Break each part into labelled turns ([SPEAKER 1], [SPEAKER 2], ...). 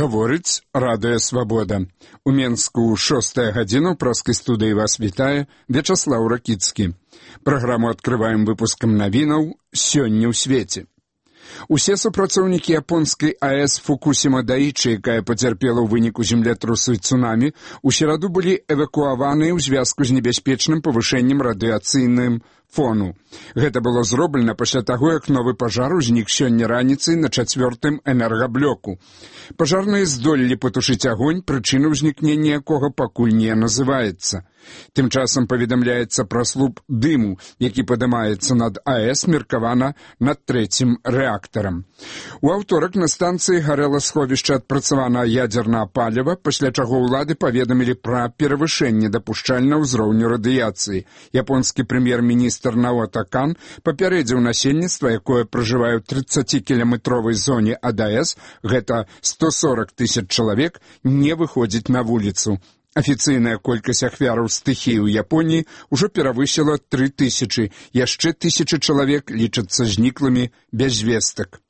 [SPEAKER 1] Гаворыць Радыё Свабода. У Менску 6 гадзіна ў праскай студыі вас вітае Вячаслаў Ракіцкі. Праграму адкрываем выпускам навінаў «Сёння ў свеце». Усе супрацоўнікі японскай АЭС Фукусіма Даічы, якая пацярпела ў выніку землятрусу і цунамі, у сераду былі эвакуаваныя ў звязку з небяспечным павышэннем радыяцыйным фону. Гэта было зроблена пасля таго, як новы пажар узнік сёння раніцай на 4-м энергаблоку. Пажарныя здолелі патушыць агонь, прычына ўзнікнення якога пакуль не называецца. Тым часам паведамляецца пра слуп дыму, які падымаецца над АЭС, меркавана над 3-м рэактарам. У аўторак на станцыі гарэла сховішча адпрацаванага ядзернага паліва, пасля чаго ўлады паведамілі пра перавышэнне дапушчальнага ўзроўню радыяцыі. Японскі прэм'ер-міністр Наото Кан папярэдзіў насельніцтва, якое пражывае ў 30-кіламетровай зоне ад АЭС, гэта 140 000 чалавек, не выходзіць на вуліцу. Афіцыйная колькасць ахвяраў стыхіі ў Японіі ўжо перавысіла 3000, яшчэ 1000 чалавек лічацца зніклымі без вестак.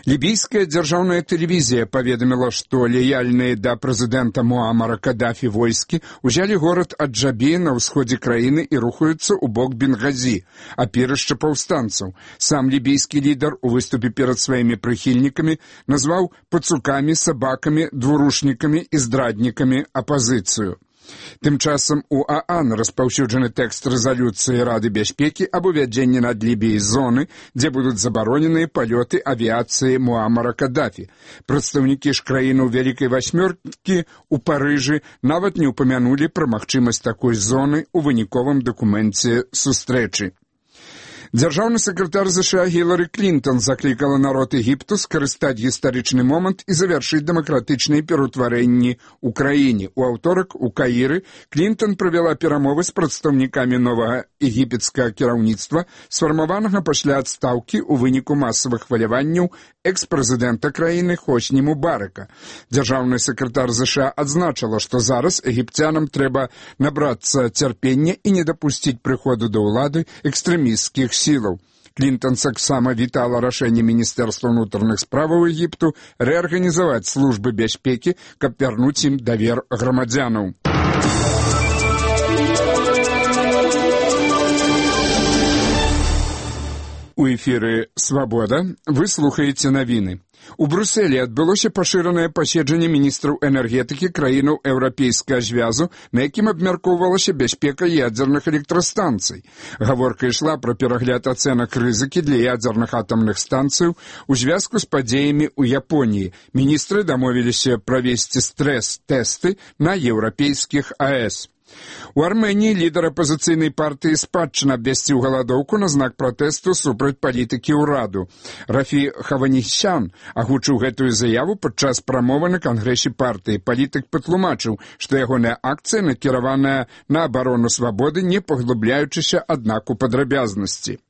[SPEAKER 1] Лібійская дзяржаўная тэлевізія паведаміла, што лаяльныя да прэзідэнта Муамара Кадафі войскі ўзялі горад Аджабі на ўсходзе краіны і рухаюцца ў бок Бенгазі, апірышча паўстанцаў. Сам лібійскі лідар у выступе перад сваімі прыхільнікамі назваў пацукамі, сабакамі, двурушнікамі і здраднікамі апазіцыю. Тым часам у ААН распаўсюджаны тэкст рэзалюцыі Рады бяспекі аб увядзенні над Лібіяй зоны, дзе будуць забароненыя палёты авіяцыі Муамара Кадафі. Прадстаўнікі ж краіны ў Вялікай Васьмёркі ў Парыжы нават не ўпамянулі пра магчымасць такой зоны ў выніковым дакуменце сустрэчы. Дзяржаўны сакратар ЗША Гілары Клінтон заклікала народ Егіпту скарыстаць гістарычны момант і завяршыць дэмакратычныя пераўтварэнні ў краіне. У аўторак у Каіры Клінтон правяла перамовы з прадстаўнікамі новага егіпецкага кіраўніцтва, сфармаванага пасля адстаўкі ў выніку масавых хваляванняў экс-прэзідэнта краіны Хосні Мубарака. Дзяржаўны сакратар ЗША адзначыла, што зараз егіпцянам трэба набрацца цярпення і не дапусціць прыходу да ўлады экстрэмісцкіх сілаў. Клінтон таксама вітала рашэнне Міністэрства ўнутраных справаў Егіпту рэарганізаваць службы бяспекі, каб вярнуць ім давер грамадзянаў. У эфіры «Свабода» вы слухаеце навіны. У Брюсселі адбылося пашыранае паседжанне міністраў энергетыкі краінаў Еўрапейскага звязу, на якім абмяркоўвалася бяспека ядзерных электрастанцый. Гаворка ішла пра перагляд ацэнак рызыкі для ядзерных атамных станцыяў у звязку з падзеямі ў Японіі. Міністры дамовіліся правесці стрэс-тэсты на еўрапейскіх АЭС. У Арменіі лідар апазіцыйнай партыі спадчына абвясціў галадоўку на знак пратэсту супраць палітыкі ўраду. Рафі Хаванісян агучыў гэтую заяву падчас прамовы на кангрэсе партыі. Палітык патлумачыў, што ягоная акцыя накіраваная на абарону свабоды, не паглыбляючыся, аднак, у падрабязнасці.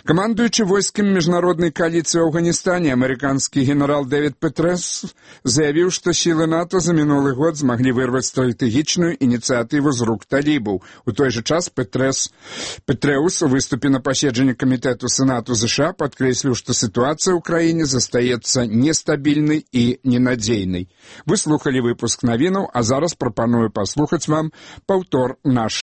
[SPEAKER 1] Камандуючы войскамі міжнароднай кааліцыі ў Афганістане, амерыканскі генерал Дэвід Петрэус заявіў, што сілы НАТО за мінулы год змаглі вырваць стратэгічную ініцыятыву з рук талібаў. У той жа час Петрэус у выступе на паседжанні камітэту Сенату ЗША падкрэсліў, што сітуацыя ў краіне застаецца нестабільнай і ненадзейнай. Вы слухалі выпуск навінаў, а зараз прапаную паслухаць вам паўтор нашай